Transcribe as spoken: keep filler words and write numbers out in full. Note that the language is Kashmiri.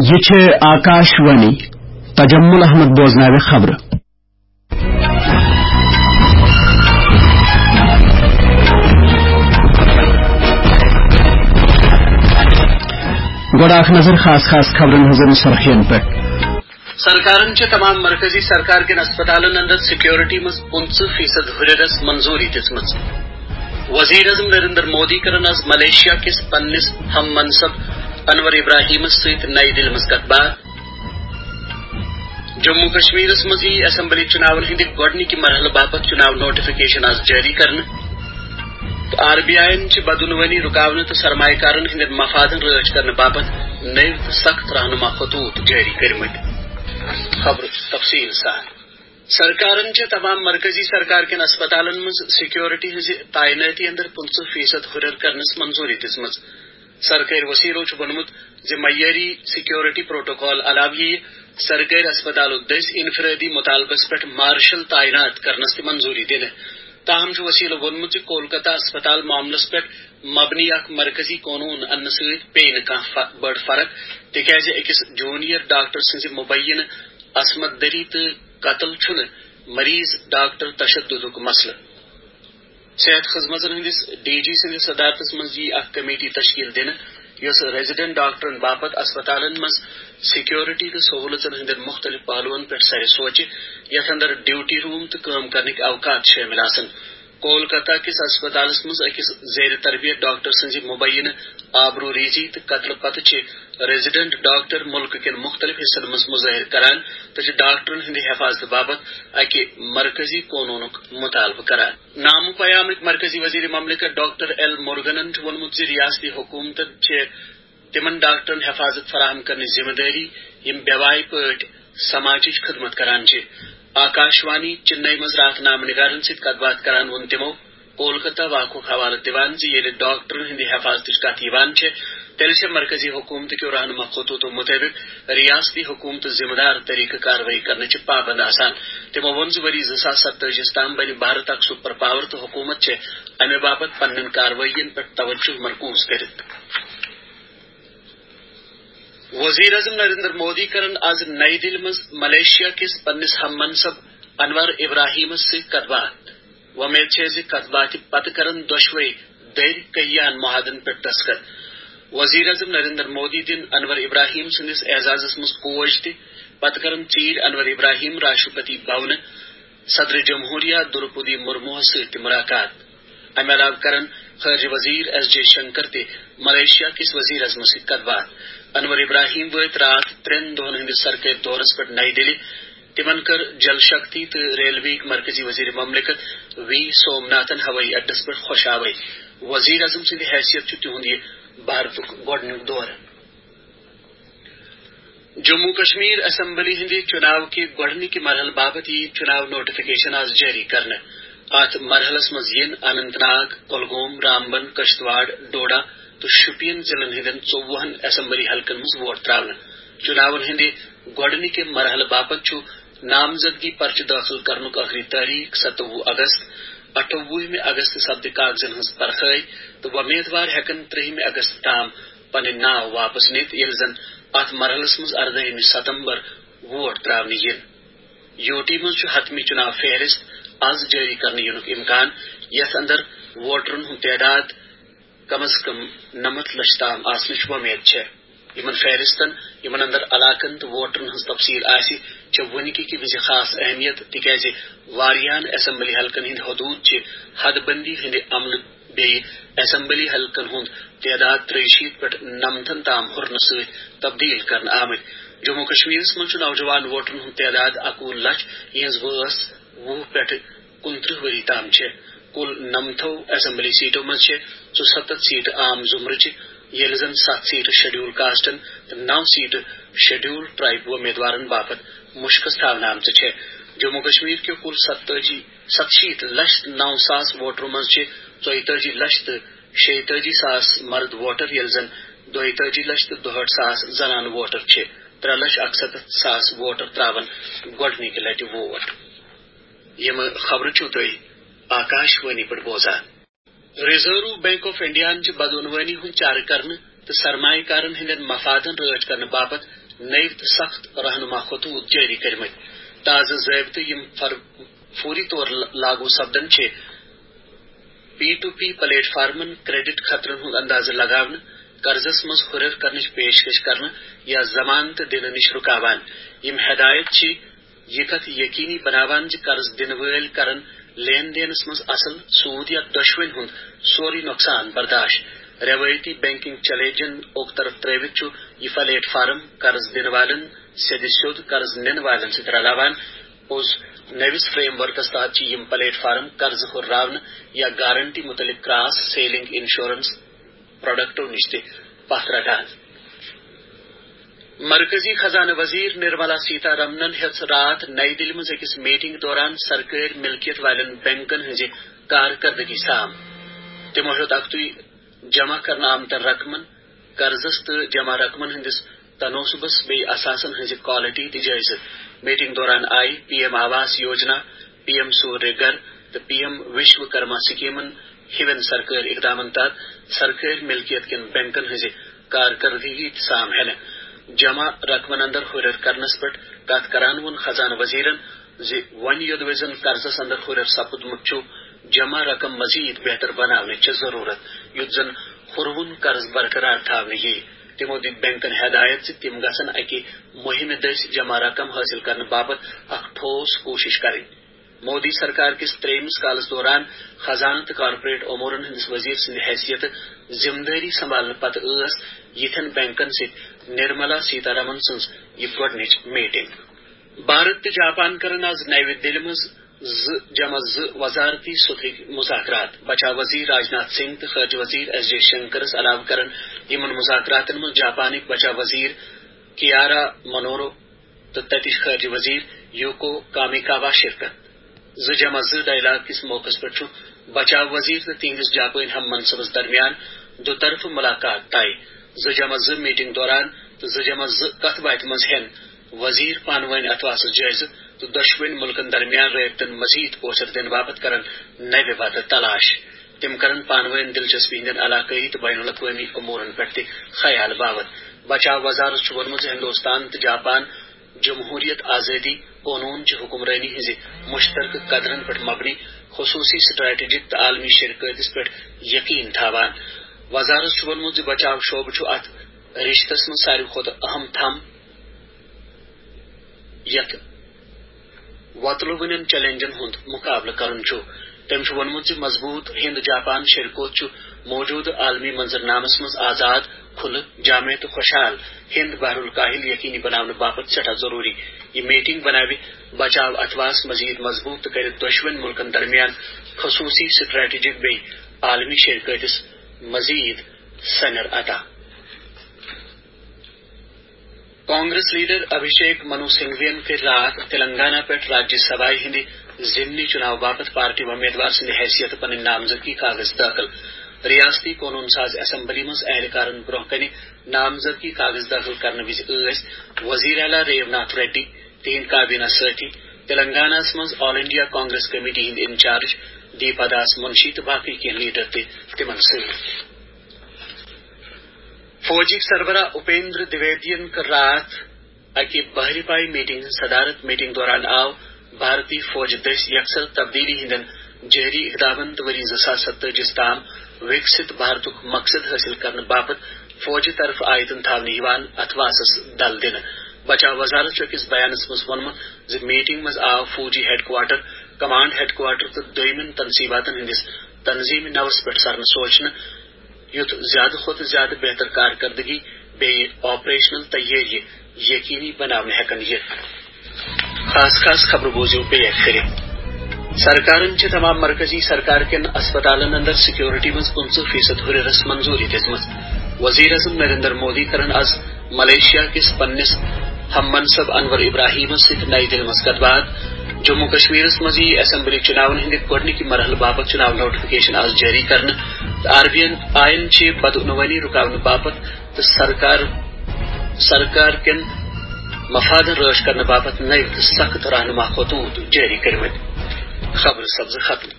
یہِ چھِ آکاش وانی۔ تجمل احمد بوزناوِ خبرٕ۔ گۄڈٕ اکھ نظر خاص خاص خبرن ہٕنٛزن سرخین پٮ۪ٹھ۔ سرکارن چھِ تمام مرکزی سرکار کٮ۪ن اسپتالن اندر سیکیورٹی منٛز پٕنٛژٕہ فیصد ہُرٮ۪رس منظوٗری دِژمٕژ۔ وزیر اعظم نریندر مودی کرن از ملیشیا کِس پننِس ہم منصب انور ابراہیمس سۭتۍ نئی دِلہِ منٛز کتھ باتھ۔ جموں کشمیرس منٛز یی اسمبلی چُناون ہٕنٛدِ گۄڈٕنِکہِ مرحلہٕ باپتھ چُناو نوٹیفکیشن از جٲری کرنہٕ۔ تہٕ آر بی آیین چھِ بدعنوٲنی رُکاونہٕ تہٕ سرمایہ کارن ہٕنٛدٮ۪ن مفادن رٲچھ کرنہٕ باپتھ نٔوۍ تہٕ سخت رہنما خطوط جٲری کٔرمٕتۍ۔ خبرٕ تفصیٖل سان۔ سرکارن چھےٚ تمام مرکزی سرکار کٮ۪ن اسپتالن منٛز سیکیورٹی ہٕنٛزِ تعینٲتی اندر پٕنٛژٕہ فیصد ہُرٮ۪ر کرنس منظوٗری دِژمٕژ۔ سرکٲرۍ وسیلو چھُ ووٚنمُت زِ معیٲری سیکیورٹی پروٹوکال علاوٕ یِیہِ سرکٲرۍ اسپتالو دٔسۍ انفرٲدی مطالبس پٮ۪ٹھ مارشل تعینات کرنس تہِ منظوٗری دِنہٕ۔ تاہم چھُ وسیلو ووٚنمُت زِ کولکتہ اسپتال معاملس پٮ۪ٹھ مبنی اکھ مرکزی قونوٗن اننہٕ سۭتۍ پیٚیہِ نہٕ کانٛہہ ف-، بٔڑ فرق، تِکیازِ أکِس جونیئر ڈاکٹر سٕنٛزِ مبینہٕ عصمت دری تہٕ قتل چھُنہٕ مریض ڈاکٹر تشددُک مسلہٕ۔ صحت خدمتن ہٕنٛدِس ڈی جی سٕنٛدِس صدارتس منٛز یِیہِ اکھ کمیٹی تشکیل دِنہٕ، یۄس ریزیڈنٹ ڈاکٹرن باپتھ اسپتالن منٛز سیکیورٹی تہٕ سہولژن ہٕنٛدٮ۪ن مُختٔلِف پہلوَن پٮ۪ٹھ سرِ سوچہِ، یتھ اندر ڈیوٹی روم تہٕ کٲم کرنٕکۍ اوقات شٲمِل آسن۔ کولکتہ کِس اسپتالس منٛز أکِس زیر تربیت ڈاکٹر سٕنٛزِ مبینہٕ آبروٗ ریزی تہٕ قتلہٕ پتہٕ چھِ ریزیڈنٹ ڈاکٹر مُلکہٕ کٮ۪ن مُختٔلِف حصن منٛز مظٲہرٕ کران تہٕ چھِ ڈاکٹرن ہٕنٛدِ حفاظتہٕ باپتھ اکہِ مرکزی قونوٗنُک مطالبہٕ کران۔ نامہٕ پیامٕکۍ مرکزی وزیر مملکت ڈاکٹر ایل مورگنن چھُ ووٚنمُت زِ ریاستی حکومتن چھِ تِمن ڈاکٹرن حفاظت فراہم کرنٕچ ذمہٕ دٲری، یِم بے وایہِ پٲٹھۍ سماجٕچ خدمت کران چھِ۔ آکاشوانی چنئی منٛز راتھ نامہٕ نگارن سۭتۍ کتھ باتھ کران ووٚن تِمو کولکتہ واقعُک حوالہٕ دِوان زِ ییٚلہِ ڈاکٹرن ہٕنٛدِ حفاظتٕچ کتھ یِوان چھِ، تیٚلہِ چھِ مرکزی حکومتہٕ کیو رہنما خطوطو مُطٲبِق ریاستی حکومتہٕ ذمہٕ دار طریقہٕ کاروٲیی کرنہٕ چہِ پابند آسان۔ تِمو ووٚن زِ ؤری زٕ ساس ستٲجی ہَس تام بنہِ بھارت اکھ سپر پاور تہٕ حکومت چھِ امہِ باپتھ پننٮ۪ن کاروٲیین پٮ۪ٹھ توجہ مرکوز کٔرِتھ۔ وزیر اعظم نریندر مودی کرن از نئی دِلہِ منٛز ملیشیا کِس پننِس ہم منصب انور ابراہیمس سۭتۍ کتھ باتھ۔ وۄمید چھےٚ زِ کتھ باتھِ پتہٕ کرن دۄشوے دٔرۍ کئیان معاہدن پٮ۪ٹھ دستخط۔ وزیر اعظم نریندر مودی دِن انور ابراہیم سٕنٛدِس اعزازس منٛز کوج تہِ۔ پتہٕ کرن ژیٖرۍ انور ابراہیم راشٹرپتی بھونہٕ صدر جمہوریہ دروپدی مرموہس سۭتۍ تہِ ملاقات۔ امہِ علاوٕ کرن خارجہ وزیر ایس جے شنکر تہِ ملیشیا کِس وزیر اعظمس سۭتۍ کتھ باتھ۔ انور ابراہیم وٲتۍ راتھ ترٛٮ۪ن دۄہن ہٕنٛدِس سرکٲرۍ دورس پٮ۪ٹھ نئی دِلہِ۔ تِمن کٔر جل شکتی تہٕ ریلوے مرکزی وزیر مملکت وی سوم ناتھن ہوٲیی اڈس پٮ۪ٹھ خۄش آوٲیی۔ وزیر اعظم سٕنٛدِ حیثیت چھُ تِہُنٛد یہِ بھارتُک گۄڈٕنیُک دورٕ۔ جموں کشمیر اسمبلی ہٕنٛدِ چُناو کہِ گۄڈٕنِکہِ مرحلہٕ باپتھ یِیہِ چُناو نوٹیفکیشن آز جٲری کرنہٕ۔ اتھ مرحلس منٛز یِن اننت ناگ، کۄلگوم، رامبن، کشتواڑ، ڈوڈا تہٕ شوپین ضلعن ہٕنٛدٮ۪ن ژوٚوُہن اسمبلی حلقن منٛز ووٹ تراونہٕ۔ چُناون ہٕنٛدِ گۄڈٕنِکہِ مرحلہٕ باپتھ چھُ نامزدگی پرچہٕ دٲخل کرنُک ٲخری تٲریخ ستووُہ اگست۔ اَٹھووُہمہِ اگست سپدِ کاغذن ہٕنٛز پرکھٲے تہٕ وۄمیدوار ہٮ۪کن ترٛہمہِ اگست تام پنٕنۍ ناو واپس نِتھ، ییٚلہِ زن اتھ مرحلس منٛز اردٲہمہِ ستمبر ووٹ تراونہٕ یِن۔ یوٗ ٹی منٛز چھُ حتمی چُناو فہرست از جٲری کرنہٕ یِنُک امکان، یتھ اندر ووٹرن ہُنٛد تعداد کم از کم نَمَتھ لچھ تام آسنٕچ وۄمید چھےٚ۔ یِمن فہرستن، یِمن اندر علاقن تہٕ ووٹرن ہٕنٛز تفصیل آسہِ، چھےٚ وُنہِ کہِ وِزِ خاص اہمیت، تِکیازِ واریاہن اسمبلی حلقن ہٕنٛدۍ حدوٗد چھِ حد بندی ہٕنٛدِ عملہٕ بیٚیہِ اسمبلی حلقن ہُنٛد تعداد ترٛیہِ شیٖتھ پٮ۪ٹھ نَمتھن تام ہُرنہٕ سۭتۍ تبدیل کرنہٕ آمٕتۍ۔ جموں کشمیرس منٛز چھُ نوجوان ووٹرن ہُنٛد تعداد اَکوُہ لچھ، یِہنٛز وٲنٛس وُہ پٮ۪ٹھ کُنترٕہ ؤری تام چھےٚ۔ کُل نَمتھو اسمبلی سیٹو منٛز چھےٚ ژُسَتتھ سیٹہٕ عام زمرٕچہِ، ییٚلہِ زن ستھ سیٹہٕ شیڈیول کاسٹن تہٕ نو سیٹہٕ شیڈیول ٹرائب وۄمیدوارن باپتھ مُشخص تھاونہٕ آمژٕ چھےٚ۔ جموں کشمیر کیو کُل ستتٲجی، ستشیٖتھ لچھ نو ساس ووٹرو منٛز چھِ ژۄیتٲجی لچھ تہٕ شیٚیہِ تٲجی ساس مرد ووٹر، ییٚلہِ زن دۄیہِ تٲجی لچھ تہٕ دُہٲٹھ ساس زنانہٕ ووٹر چھِ۔ ترٛےٚ لچھ اَکسَتتھ ساس ووٹر ترٛاوَن گۄڈٕنِکہِ لٹہِ ووٹ۔ یِم خبرٕ چھِو تُہۍ آکاش وانی پٮ۪ٹھ بوزان۔ ریزرو بینک آف انڈیاہن چھِ بدعنوٲنی ہُنٛد چارٕ کرنہٕ تہٕ سرمایہ کارن ہٕنٛدٮ۪ن مفادن رٲچھ کرنہٕ باپتھ نٔوۍ تہٕ سخت رہنما خطوط جٲری کٔرمٕتۍ۔ تازٕ ضٲبطہٕ، یِم فر-، فوری طور ل-، لاگو سپدن، چھِ پی ٹو پی پلیٹ فارمن کریڈٹ خطرن ہُنٛد اندازٕ لگاونہٕ، قرضس منٛز ہُرٮ۪ر کرنٕچ پیشکش کرنہٕ یا ضمانت دِنہٕ نِش رُکاوان۔ یِم ہدایت چھِ یہِ کتھ یقینی بناوان زِ قرض دِنہٕ وٲلۍ کرن لین دینس منٛز اصل سود یا دۄشوٕنۍ ہُنٛد سورُے نۄقصان برداشت۔ رٮ۪وٲیتی بینکنگ چیلنجن اوٚک طرف ترٲوِتھ چھُ یہِ پلیٹ فارم قرض دِنہٕ والٮ۪ن سیٚدِ سیوٚد قرض نِنہٕ والٮ۪ن سۭتۍ رلاوان۔ پوٚز، نٔوِس فریم ورکس تحت چھِ یِم پلیٹ فارم قرض ہُرراونہٕ یا گارنٹی مُتعلق کراس سیلنگ انشورنس پروڈکٹو نِش تہِ پتھ رٹان۔ مرکزی خزانہٕ وزیر نرملا سیتا رمنن ہیٚژ راتھ نئی دِلہِ منٛز أکِس میٹنگ دوران سرکٲرۍ ملکیت والٮ۪ن بینکن ہٕنٛزِ کارکردگی سام۔ تِمو ہیوٚت اکھتُے جمع کرنہٕ آمتٮ۪ن رقمن، قرضس تہٕ جمع رقمن ہٕنٛدِس تناسبس بیٚیہِ اثاثن ہٕنٛزِ کوالٹی تہِ جٲیزٕ۔ میٹنگ دوران آیہِ P M Awas Yojana, P M سوریہ گھر تہٕ پی ایم وشوکرما سکیمن ہِوٮ۪ن سرکٲرۍ اقدامن تحت سرکٲرۍ ملکیت کٮ۪ن بینکن ہٕنٛزِ کارکردگی تہِ سام ہٮ۪نہٕ۔ جمع رقمن اندر ہُرٮ۪ر کرنس پٮ۪ٹھ کتھ کران ووٚن خزانہٕ وزیرن زِ وۄنۍ یوٚدوَے زن قرضس اندر ہُرٮ۪ر سپُدمُت چھُ، جمع رقم مزید بہتر بناونٕچ چھِ ضروٗرت، یُتھ زن ہُروُن قرض برقرار تھاونہٕ یِیہِ۔ تِمو دِتۍ بینکن ہدایت زِ تِم گژھن اکہِ مُہِمہِ دٔسۍ جمع رقم حٲصِل کرنہٕ باپتھ اکھ ٹھوس کوٗشش کرٕنۍ۔ مودی سرکار کِس ترٛیٚیمِس کالس دوران خزانہٕ تہٕ کارپوریٹ امورن ہٕنٛدِس وزیر سٕنٛدِ حیثیتہٕ ذمہٕ دٲری سنبھالنہٕ پتہٕ ٲس یِتھٮ۪ن بینکن سۭتۍ نرملا سیتا رمن سٕنٛز یہِ گۄڈٕنِچ میٹنگ۔ بھارت تہٕ جاپان کرن آز نَوِ دِلہِ منٛز زٕ جمع زٕ وزارتی سطحٕکۍ مذاکرات۔ بچاو وزیر راجناتھ سنگھ تہٕ خارجہ وزیر ایس جے شنکرس علاوٕ کرن یِمن مذاکراتن منٛز جاپانٕکۍ بچاو وزیر کیارا منورو تہٕ تتِچ خارجہ وزیر یوکو کامیکاوا شرکت۔ زٕ جمع زٕ ڈائیلاگ کِس موقعس پٮ۪ٹھ چھُ بچاو وزیر تہٕ تِہنٛدِس جاپٲنۍ ہم منصبس درمیان دُطرفہٕ ملاقات طے۔ زٕ جمع زٕ میٹنگ دوران تہٕ زٕ جمع زٕ کتھ باتھِ منٛز ہٮ۪ن وزیر پانہٕ وٲنۍ اتھواسس جٲیزٕ تہٕ دۄشوٕنۍ مُلکن درمیان رٲبطن مزید پوچھر دِنہٕ باپتھ کرن نوِ وتہٕ تلاش۔ تِم کرن پانہٕ وٲنۍ دلچسپی ہٕنٛدٮ۪ن علاقٲیی تہٕ بین الاقوٲمی امورن پٮ۪ٹھ تہِ خیال باوت۔ بچاو وزارت چھُ ووٚنمُت زِ ہندوستان تہٕ جاپان جمہوریت، آزٲدی، قونوٗن چہِ حکمرٲنی ہٕنٛزِ مشترکہٕ قدرن پٮ۪ٹھ مبنی خصوٗصی، سٹریٹجک تہٕ عالمی شراکتس پٮ۪ٹھ یقین تھاوان۔ وزارت چھُ ووٚنمُت زِ بچاو شعبہٕ چھُ اتھ رشتس منٛز ساروی کھۄتہٕ اہم تھم، یتھ وۄتلوٕنٮ۪ن چیلنجن ہُنٛد مقابلہٕ کرُن چھُ۔ تٔمۍ چھُ ووٚنمُت زِ مضبوط ہند جاپان شراکت چھُ موجودٕ عالمی منظرنامس منٛز آزاد، کھُلہٕ، جامع تہٕ خۄشحال ہند بحر الکاہل یقینی بناونہٕ باپتھ سٮ۪ٹھاہ ضروٗری۔ یہِ میٹنگ بناوِ بچاو اتھواس مزید مضبوط تہٕ کرِ دۄشوٕنۍ مُلکن درمیان خصوٗصی، سٹریٹجک بیٚیہِ عالمی شراکتس مزید سنیر عطا۔ کانگریس لیڈر ابھیشیک منو سنگھوین کٔرۍ راتھ تلنگانہ پٮ۪ٹھ راجیہ سبھایہ ہٕنٛدِ ضمنی چُناو باپتھ پارٹی امیدوار سٕنٛدِ حیثیتہٕ پنٕنۍ نامزدگی کاغذ دٲخل۔ ریاستی قونوٗن ساز اسمبلی منٛز اہلکارن برٛونٛہہ کنہِ نامزدگی کاغذ دٲخل کرنہٕ وِزِ ٲسۍ وزیر اعلیٰ ریو ناتھ ریڈی، تِہنٛدۍ کابینہ سٲتھی، تلنگانہ ہَس منٛز آل انڈیا کانگریس کمیٹی ہٕنٛدۍ انچارج دیپا داس منشی تہٕ باقٕے کینٛہہ لیڈر تہِ تِمن سۭتۍ۔ فوجٕکۍ سربراہ اپیندر دویدین کٔر راتھ اکہِ بحری پای میٹنگ ہٕنٛز صدارت۔ میٹنگ دوران آو بھارتی فوج دٔسۍ یکسر تبدیلی ہٕنٛدٮ۪ن جٲری اقدامن تہٕ ؤری زٕ ساس ستٲجی تام وِکسِت بھارتُک مقصد حٲصِل کرنہٕ باپتھ فوجہِ طرفہٕ آیتن تھاونہٕ یِوان اتھواسس دل دِنہٕ۔ بچاو وزارت چھُ أکِس بیانس منٛز ووٚنمُت زِ میٹنگ منٛز آو فوجی headquarter, command headquarter تہٕ دوٚیمٮ۪ن تنصیباتن ہٕنٛدِس تنظیمی نوس پٮ۪ٹھ سرنہٕ سوچنہٕ، یُتھ زیادٕ کھۄتہٕ زیادٕ بہتر کارکردگی بیٚیہِ آپریشنل تیٲری یقینی بناونہٕ ہٮ۪کن یِتھ۔ خاص خاص خبرٕ بوٗزِو بیٚیہِ اَکہِ پھِرِ۔ سرکارن چھِ تمام مرکزی سرکار کٮ۪ن اسپتالن اندر سیکورٹی منٛز پٕنٛژٕہ فیصد ہُرٮ۪رس منظوٗری دِژمٕژ۔ وزیر اعظم نریندر مودی کرن از ملیشیا کِس پننِس ہم منصب انور ابراہیمس سۭتۍ نئی دِلہِ منٛز کتھ باتھ۔ جموں کشمیرس منٛز یِیہِ اسمبلی چُناون ہٕنٛدِ گۄڈٕنِکہِ مرحلہٕ باپتھ چُناو نوٹیفکیشن از جٲری کرنہٕ تہٕ آر بی آی یَن چھِ بدعنوانی رُکاونہٕ باپتھ تہٕ سرکار، سرکار کٮ۪ن مفادن رٲچھ کرنہٕ باپتھ نٔوۍ تہٕ سخت رہنما خطوط جٲری کٔرمٕتۍ۔ خبرٕ سپزٕ ختم۔